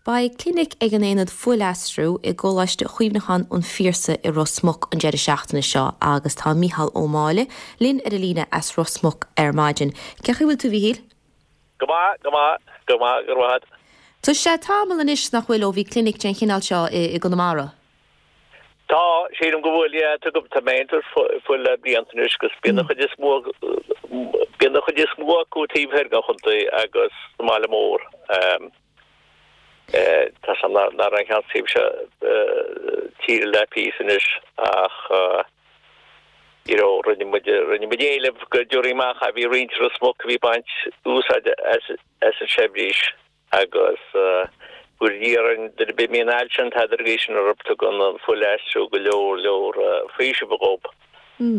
Beidh clinic ag an Aonad Fuilaistriú i gColáiste Chuimhneacháin an Phiarsaigh i Ros Muc an deireadh seachtaine seo agus tá Mícheál Ó Máille linn ar an líne as Ros Muc ar maidin. Cén chaoi a bhfuil tú, a Mhíchíl? Go maith, go maith, go maith, go raibh maith agat. Tá sé tamall anois nach bhfuil ó bhí clinic den chineál seo i gConamara. Tá, sílim go bhfuil, yeah, tá, tá mé ag tabhairt fuil le blianta anois agus bíonn an chuid is mó, bíonn an chuid is mó acu taobh thoir den chontae agus sa mbaile mór. Tá sé nach raibh aon cheann taobh seo tíre le píosa anois ach you know rinne muid, rinne muid éileamh go dtabharfaí amach, bhí roinnt i Ros Muc a bhí ag baint úsáid as an seirbhís. Agus go iarrann duine ar bith a mbíonn ailse an tada ar sin orthu, tugann an fuilaistriú go leor leor faoisimh dhób.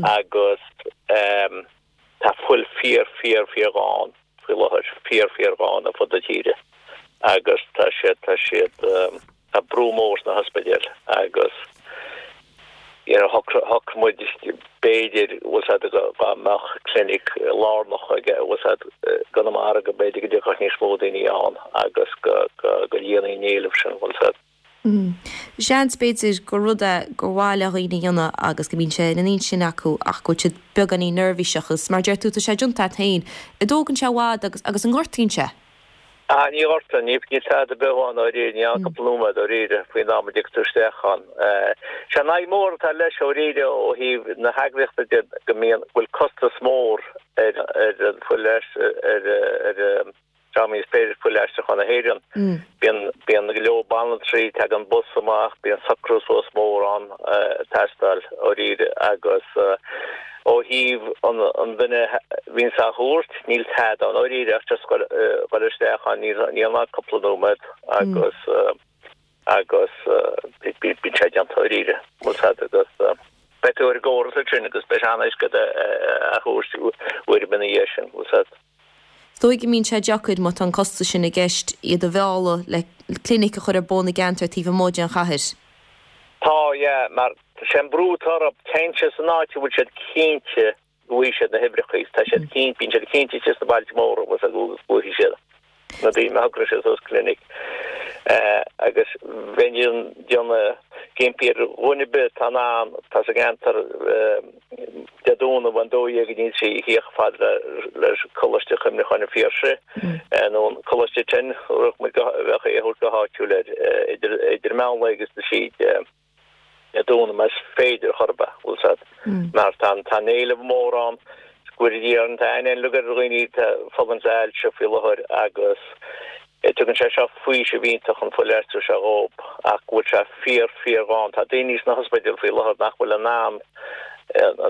Agus tá fuil fíor fíor fíor ghann faoi láthair, fíor fíor ghann ar fud na tíre. Agus tá siad, tá siad, tá brú mór sna hospidéil agus you know shocraigh muid b'fhéidir bhfuil 's a'd dá mbeadh clinic lárnach aige bhfuil 's a'd i gConamara go mb'fhéidir go dtiocfadh níos mó daoine ann agus go go go líonfaí an éileamh sin bhfuil 's a'd. Seans b'fhéidir gur rud é gur mhaith le dhaoine a dhéanamh agus go mbíonn sé ina n-intinn acu ach go bhfuil siad beagáinín neirbhíseach agus mar a deir tú tá sé déanta a't féin. An dtógann sé i bhfad agus agus an ngortaíonn sé? Ah, ní ghortaíonn, ní, níl tada ar bith ann dáiríre, ní ann cúpla nóiméad dáiríre faoin am a dtig tú isteach ann. Sé an fhadhb mhór atá leis dáiríre ó thaobh na heagraíochta de go mbíonn, go bhfuil costas mór ar, ar an fuil, ar, ar, ar dream is Fuilaistriúchán na hÉireann. Bíonn, bíonn go leor banaltraí, tagann bus amach, bíonn socrú suas mór ann ag teastáil dáiríre agus, Ó thaobh an duine a bhíonns á thabhairt, níl tada ann dáiríre ach just dhul isteach ann, níl ann ach cúpla nóiméad agus agus bíonn sé déanta dáiríre, bhfuil 's a'd agus beidh tú ar an gcóras ansin agus beidh sé an-éasca a thabhairt uair ar bith ina dhiaidh sin, bhfuil 's a'd. Is dóigh go mbíonn sé deacair, má tá an costas sin i gceist, iad a mhealladh le clinic a chur ar bun i gceantar taobh amuigh den chathair. Tá, yeah, mar sé an brú atá orthu, téann siad san áit a bhfuil siad cinnte go bhfaighidh siad na huimhreacha, tá siad cinnte, bíonn siad cinnte istigh sna bailte móra bhfuil 's a'd go bhfaighidh siad na daoine má shocraíonn siad suas clinic. Agus bheinn ag déanamh ag impí ar dhuine ar bith atá in ann, atá sa gceantar, Dé Domhnaigh ón 12 go dtí an 3 a theacht chomh fada le Coláiste Chuimhneacháin an Phiarsaigh nó an Coláiste Tin, bheadh muid go, bheadh é a thabhairt go háitiúil air, idir, idir meán lae agus a 3 Dé Domhnaigh más féidir chor ar bith, bhfuil 's a'd. Mar tá an, tá an éileamh mór ann, go bhfuil Dia an t-aon éileamh ar dhaoine atá ag fulaingt le hailse faoi láthair agus Tugann sé seo faoiseamh iontach an fuilaistriú seo dhób ach go bhfuil sé fíor, fíor ghann. Tá daoine sna hospidéil faoi láthair nach bhfuil in ann,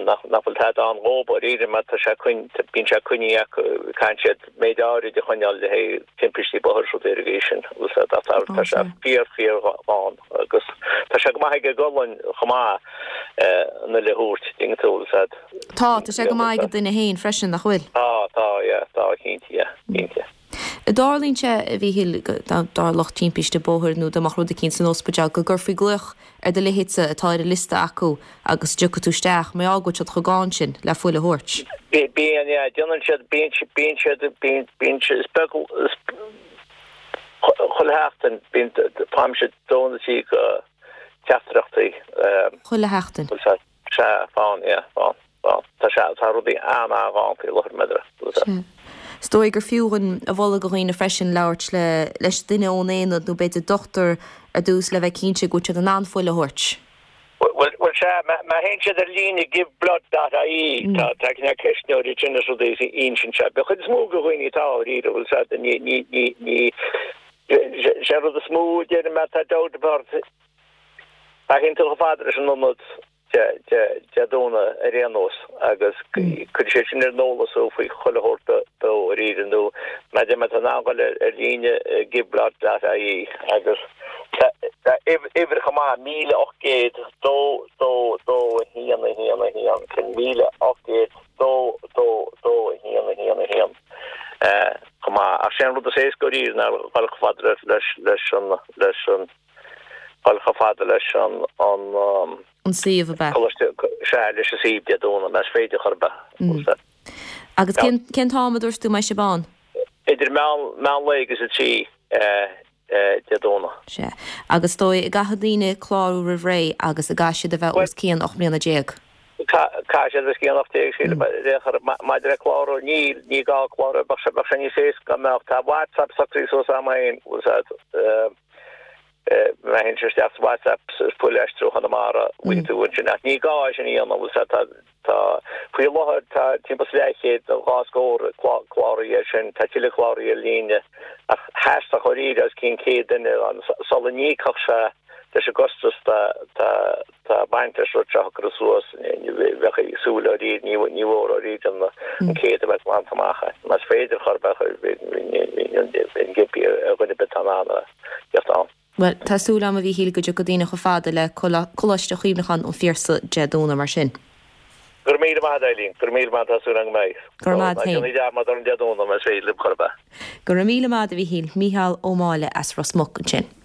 nach bhfuil tada ann dhób dáiríre mar tá sé coinn, bíonn sé coinnithe acu, caitheann siad méid áirid a choinneáil le haghaidh timpistí bóthair is rudaí ar an gcaoi sin. Tá sé fíor, fíor ghann agus tá sé go maith ag an gcolainn chomh maith an fhuil a thabhairt, dtuigeann tú, bhfuil 's a'd. Tá, tá sé go maith ag an duine féin freisin, nach bhfuil? Tá, tá, yeah, tá, cinnte, yeah, cinnte. An dtarlaíonn sé, a Mhíchíl, dá dtarlódh timpiste bóthair nó dá mbeadh rud eicínt san ospidéal, go gcuirfí glaoch ar do leithéidse atá ar an liosta acu agus dtiocfaidh tú isteach, mar gheall go bhfuil siad chomh gann sin le fuil a thabhairt? Bíonn, yeah. Déanann siad, bíonn siad, bíonn siad, bíonn, bíonn siad, is beag, is, chuile sheachtain, bíonn, faighimse dó nó trí de teachtaireachtaí. Chuile sheachtain? Sea, faigheann, yeah, faigheann, faigheann. Tá sé, tá rudaí an-an-ghann faoi láthair, meidre, Sea. Is dóigh gur fiú a mholadh do dhaoine freisin labhairt le, leis duine ón aonad nó b'fhéidir dochtúir ar dtús le bheith cinnte go bhfuil siad in ann fuil a thabhairt. Bhuel, bhuel, sea, má, má théann siad ar líne giveblood.ie, tá, tá cineál ceistneoirí ansin is rudaí is insíonn sé. Den chuid is mó de dhaoine atá dáiríre, bhfuil 's a'd, ní, ní, ní, ní, sé an rud is mó a deirim má tá dabht ort, Má théann tú chomh fada leis an ionad Dé Domhnaigh ar aon nós agus cuirfidh siad sin ar an eolas thú faoi chuile shórt dáiríre nó má tá tú in ann dul ar líne giveblood.ie agus tá uimhir chomh maith 1800 2 2 2 1 1 1 sin 1800 2 2 2 1 1 1 chomh maith ach sé an rud is éasca dáiríre ná dul chomh fada leis an leis an Dul chomh fada leis an An suíomh ab ea? Coláiste, sea, leis an suíomh Dé Domhnaigh, más féidir chor ar bith. Agus cén, cén t-am a dúirt tú a mbeidh sibh ann? Idir meán, meán lae agus a 3. Dé Domhnaigh. Sea. Agus is dóigh an gcaithfidh daoine clárú roimh ré agus an gcaithfidh siad a bheith os cionn 18 mbliana? Caithfidh siad os cionn 18, sílim. Maidir le clárú, níl, ní gá clárú, bheadh sé, bheadh sé níos éasca dá mbeadh. Tá WhatsApp socraithe suas agam féin, bhfuil a fhios agat, má théann tú isteach sa WhatsApp sa Fuil Aistriú Chonamara, bhfaighidh tú ansin, ach ní gá é sin a dhéanamh, bhfuil a fhios agat, tá, Tá, faoi láthair, tá timpeall is leathchéad nó dhá scór cláraithe air sin, tá tuilleadh cláraithe ar líne, ach theastódh dháiríre os cionn 100 duine ann sula n-íocfadh sé leis an gcostas tá ag baint leis an rud seo a shocrú suas, bheadh súil dháiríre, ní mhór dháiríre an 100 a bheith glanta amach. Más féidir chor ar bith, bheinn ag impí ar dhuine ar bith atá in ann a theacht ann. Bhuel, tá súil agam, a Mhíchíl, go dtiocfaidh daoine chomh fada le Coláiste Chuimhneacháin an Phiarsaigh Dé Domhnaigh mar sin. Go raibh míle maith agat, Eileen. Go raibh míle maith, tá súil agam go mbeidh. Go raibh maith agat féin. Ná déanaigí dearmad ar an Dé Domhnaigh, más féidir libh chor ar bith. Go raibh míle maith agat, a Mhíchíl. Mícheál Ó Máille as Ros Muc ansin.